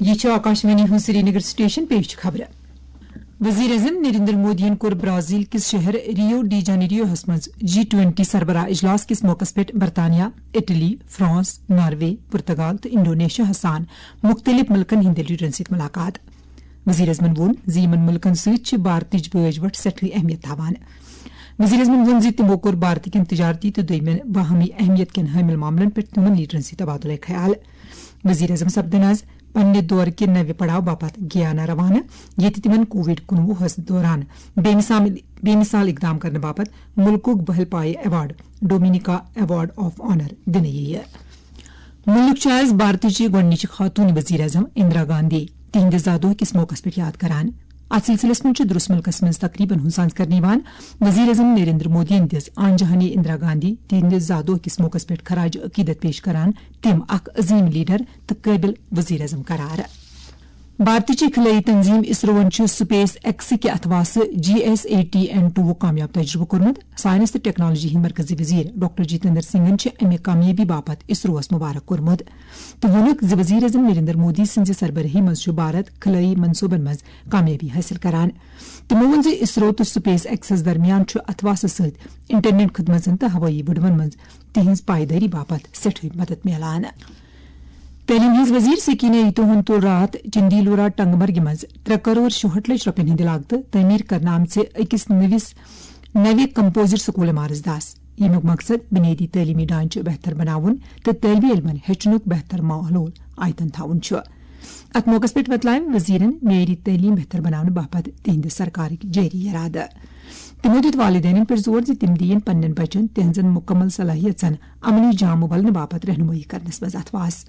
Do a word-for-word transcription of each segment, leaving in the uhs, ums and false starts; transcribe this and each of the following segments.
یہ چھُ آکاشوانی ہُنٛد سرینگر سٹیشن، پیش چھِ خبرٕ۔ وزیر اعظم نریندر مودیَن کوٚر برازیل کِس شہر ریو ڈی جانیریوہَس منٛز جی ٹوئنٹی سربراہ اجلاس کِس موقعس پٮ۪ٹھ برطانیہ، اٹلی، فرانس، ناروے، پرتگال تہٕ انڈونیشیا ہَس سان مُختٔلِف مُلکَن ہٕنٛدٮ۪ن لیڈرَن سۭتۍ مُلاقات۔ وزیر اعظمَن ووٚن زِ یِمَن مُلکَن سۭتۍ چھِ بھارتٕچ بٲج وَٹھ سٮ۪ٹھٕے اہمیت تھاوان۔ وزیر اعظمَن ووٚن زِ تِمو کوٚر بھارت کٮ۪ن تجارتی تہٕ دوٚیمٮ۪ن باہمی اہمیت کٮ۪ن حٲمل معاملَن پٮ۪ٹھ تِمَن لیڈرَن سۭتۍ تبادلہ خیال۔ وزیر اعظم سپدن آز پننہِ دورٕ کہِ نوِ پڑاو باپتھ گیانا روانہٕ، ییٚتہِ تِمن کووڈ کُنوُہس دوران بے مثال، بے مثال اقدام کرنہٕ باپتھ مُلکُک بحل پایہِ award, Dominica award of honour, دِنہٕ یِیہِ۔ مُلک چھُ آز بھارتٕچہِ گۄڈٕنِچہِ خاتوٗن وزیر اعظم اندرا گاندھی تِہنٛدِ زا دۄہ کِس موقعس پٮ۪ٹھ یاد کران۔ اتھ سلسلس منٛز چھُ درس مُلکس منٛز تقریبن ہُنٛد سانز کرنہٕ یِوان۔ وزیر اعظم نریندر مودیَن دِژ آنجہانی اندرا گاندھی تِہنٛدِ زا دۄہ کِس موقعس پٮ۪ٹھ خراج عقیدت پیش کران تِم اکھ عظیم لیڈر تہٕ قٲبل وزیر اعظم قرار۔ بھارتٕچہِ خلٲیی تنظیم اسروَن چھُ سپیس ایکس کہِ اتھواسہٕ جی ایس ایٹی این ٹوُک کامیاب تجربہٕ کوٚرمُت۔ سائنس تہٕ ٹیکنالوجی ہٕنٛدۍ مرکزی وزیر ڈاکٹر جتیندر سنگھن چھِ امہِ کامیٲبی باپتھ اسروَس مبارک کوٚرمُت تہٕ ووٚنُکھ زِ وزیر اعظم نریندر مودی سٕنٛزِ سربرٲہی منٛز چھُ بھارت خلٲیی منصوبن منٛز کامیٲبی حٲصِل کران۔ تِمو ووٚن زِ اسرو تہٕ سپیس ایکسس درمیان چھُ اتھواسہٕ سۭتۍ انٹرنیٹ خدمژن تہٕ ہوٲیی وٕڈوَن منٛز تِہنٛز پایدٲری باپتھ سٮ۪ٹھٕے مدد میلان۔ تعلیٖم ہٕنٛز وزیر سکینہ ایتو ہن تُل راتھ چندیلورا ٹنگمرگہِ منٛز ترٛےٚ کرور شُہٲٹھ لچھ رۄپین ہٕنٛدِ لاگتہٕ تعمیٖر کرنہٕ آمژِ أکِس نٔوِس، نوِ کمپوزٹ سکول عمارژ دَس، ییٚمیُک مقصد بُنیٲدی تعلیٖمی ڈھانچہٕ بہتر بناوُن تہٕ طٲلبہِ علمن ہیٚچھنُک بہتر ماحول آیتن تھاوُن چھُ۔ اتھ موقعس پٮ۪ٹھ وۄتلٲوۍ وزیرن معیٲری تعلیٖم بہتر بناونہٕ باپتھ تِہنٛدِ سرکارٕکۍ جٲری ارادٕ۔ تِمو دیُت والدینن پٮ۪ٹھ زور زِ تِم دِیِن پننٮ۪ن بچن تِہنٛزن مُکمل صلٲحیژن عملی جامہٕ ولنہٕ باپتھ رہنمٲیی کرنس منٛز اتھواس۔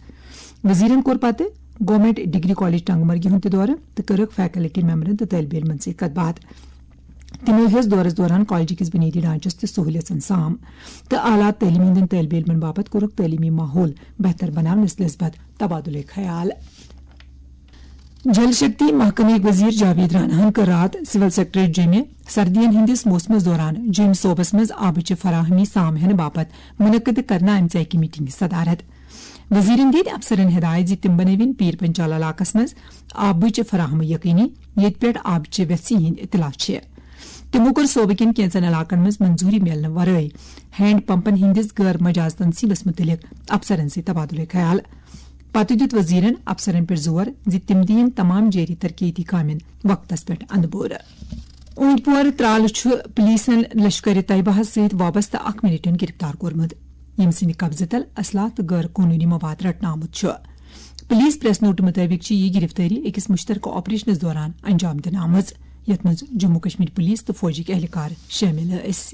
وزیرن کوٚر پتہٕ گورنمنٹ ڈگری کالج ٹنگمرگہِ ہُنٛد تہِ دورٕ تہٕ کٔرٕکھ فیکلٹی ممبرن تہٕ طٲلبہِ علمن سۭتۍ کتھ باتھ۔ تِمو ہیوٚژ دورس دوران کالجہِ کِس بُنیٲدی ڈھانچس تہٕ سہوٗلیژن سام تہٕ اعلیٰ تعلیٖم ہٕنٛدٮ۪ن طٲلبہِ علمن باپتھ کوٚرُکھ تعلیٖمی ماحول بہتر بناونس نسبت تبادلے خیال۔ جل شکتی محکمٕکۍ وزیر جاوید راناہن کٔر راتھ سول سیکرٹریٹ جیٚمہِ سردین ہٕنٛدِس موسمس دوران جیٚمۍ صوبس منٛز آبٕچہِ فراہمی سام ہینہٕ باپتھ منعقد کرنہٕ آمژِ اکہِ میٹنگہِ صدارت۔ وزیرن دِتۍ افسرن ہدایت زِ تِم بنٲوِن پیٖر پنچال علاقس منٛز آبٕچ فراہمی یقینی، ییٚتہِ پٮ۪ٹھ آبٕچہِ ویژھِ ہٕنٛدۍ اطلاع چھِ۔ تِمو کوٚر صوبہٕ کٮ۪ن کینٛژن علاقن منٛز منظوٗری میلنہٕ ورٲے ہینڈ پمپن ہٕنٛدِس غٲر مجاز تنصیبس مُتعلق افسرن سۭتۍ تبادلہٕ خیال۔ پتہٕ دیُت وزیرن افسرن پٮ۪ٹھ زور زِ تِم دِیِن تمام جٲری ترقیتی کامٮ۪ن وقتس پٮ۪ٹھ اندٕ بورٕ۔ اوٗنتۍ پورٕ ترالہٕ چھُ پولیسن لشکر طیبہ ہَس سۭتۍ وابستہٕ اکھ ملیٹنٹ گرفتار کوٚرمُت، ییٚمہِ سٕنٛدِ قبضہٕ تل اسلحہ تہٕ غٲر قونوٗنی مواد رٹنہٕ آمُت چھُ۔ پولیس پریس نوٹہٕ مُطٲبِق چھِ یہِ گرفتٲری أکِس مُشترکہٕ آپریشنَس دوران انجام دِنہٕ آمٕژ، یَتھ منٛز جموں کشمیر پولیس تہٕ فوجٕکۍ اہلکار شٲمِل ٲسۍ۔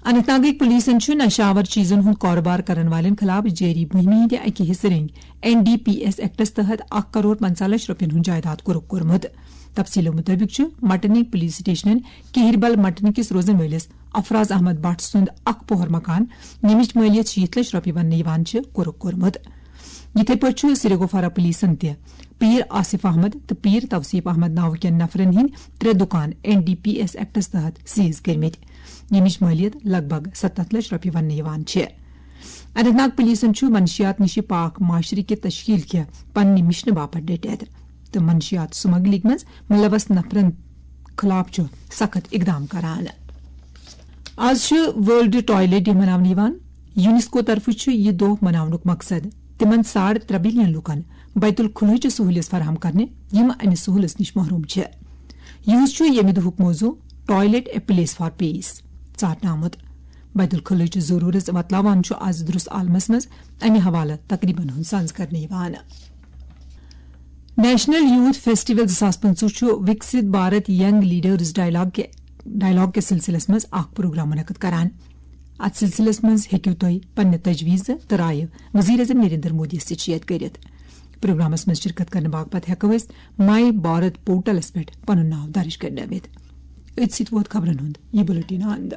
اننت ناگٕکۍ پولیسن چھُ نشہٕ آور چیزن ہُنٛد کاروبار کرن والٮ۪ن خلاف جٲری مُہِمہِ ہٕنٛدِ اکہِ حصہٕ رٔنگۍ N D P S acts تحت اکھ کرور پنژاہ لچھ رۄپین ہُنٛد جائیداد کوٚرُکھ کوٚرمُت۔ تفصیلو مُطٲبِق چھُ مٹنٕکۍ پولیس سٹیشنن کہربل مٹنہٕ کِس روزن وٲلِس افراز احمد بٹ سُنٛد اکھ پوہر مکان، ییٚمِچ مٲلیت شیٖتھ لچھ رۄپیہِ وننہٕ یِوان چھِ، کوٚرُکھ کوٚرمُت۔ یِتھے پٲٹھۍ چھُ سرگوفارا پولیسن تہِ پیٖر آصف احمد تہٕ پیٖر توصیف احمد ناوٕ کٮ۪ن نفرن ہٕنٛدۍ ترٛےٚ دُکان N D P S acts تحت سیز کٔرمٕتۍ، ییٚمِچ مٲلیت لگ بگ ستتھ لچھ رۄپیہِ وننہٕ یِوان چھِ۔ اننت ناگ پولیسن چھُ منشیات نِش پاک معاشرٕ کہِ تشکیل کہِ پننہِ مشنہٕ باپتھ ڈٔٹِتھ تہٕ منشیات سمگلنگ منٛز ملوث نفرن خلاف چھُ سخت اقدام کران۔ آز چھُ ورلڈ ٹوائلٹ ڈے مناونہٕ یِوان۔ یونیسکو طرفہٕ چھُ یہِ دۄہ مناونُک مقصد تِمن ساڑ ترٛےٚ بلین لوٗکن بیت الخلوچ سہولیژ فراہم کرنہِ، یِم امہِ سہولژ نِش محروم چھِ۔ یِہُس چھُ ییٚمہِ دۄہُک موضوع ٹوائلٹ اے پلیس فار پیس ژارنہٕ آمُت۔ بیت الخلوچ ضرورت وۄتلاوان چھُ آز درست عالمس منٛز امہِ حوالہٕ تقریبن ہُنٛد سانز کرنہٕ یِوان۔ نیشنل یوتھ فیسٹیول زٕ ساس پٕنٛژٕہ چھُ وکسِت بھارت ینگ لیڈرز ڈائیلاگ کہِ، ڈائیلاگ کِس سلسلس منٛز اکھ پروگرام منعقد کران۔ اتھ سلسلس منٛز ہیٚکِو تُہۍ پننہِ تجویزٕ تہٕ رایہِ وزیر اعظم نریندر مودی یَس سۭتۍ شیئر کٔرِتھ۔ پروگرامس منٛز شرکت کرنہٕ باپتھ ہیٚکو أسۍ مائی بھارت پورٹلس پٮ۪ٹھ پنُن ناو درج کرنٲوِتھ۔ أتھۍ سۭتۍ ووت خبرن ہُنٛد یہِ بلیٹن اند۔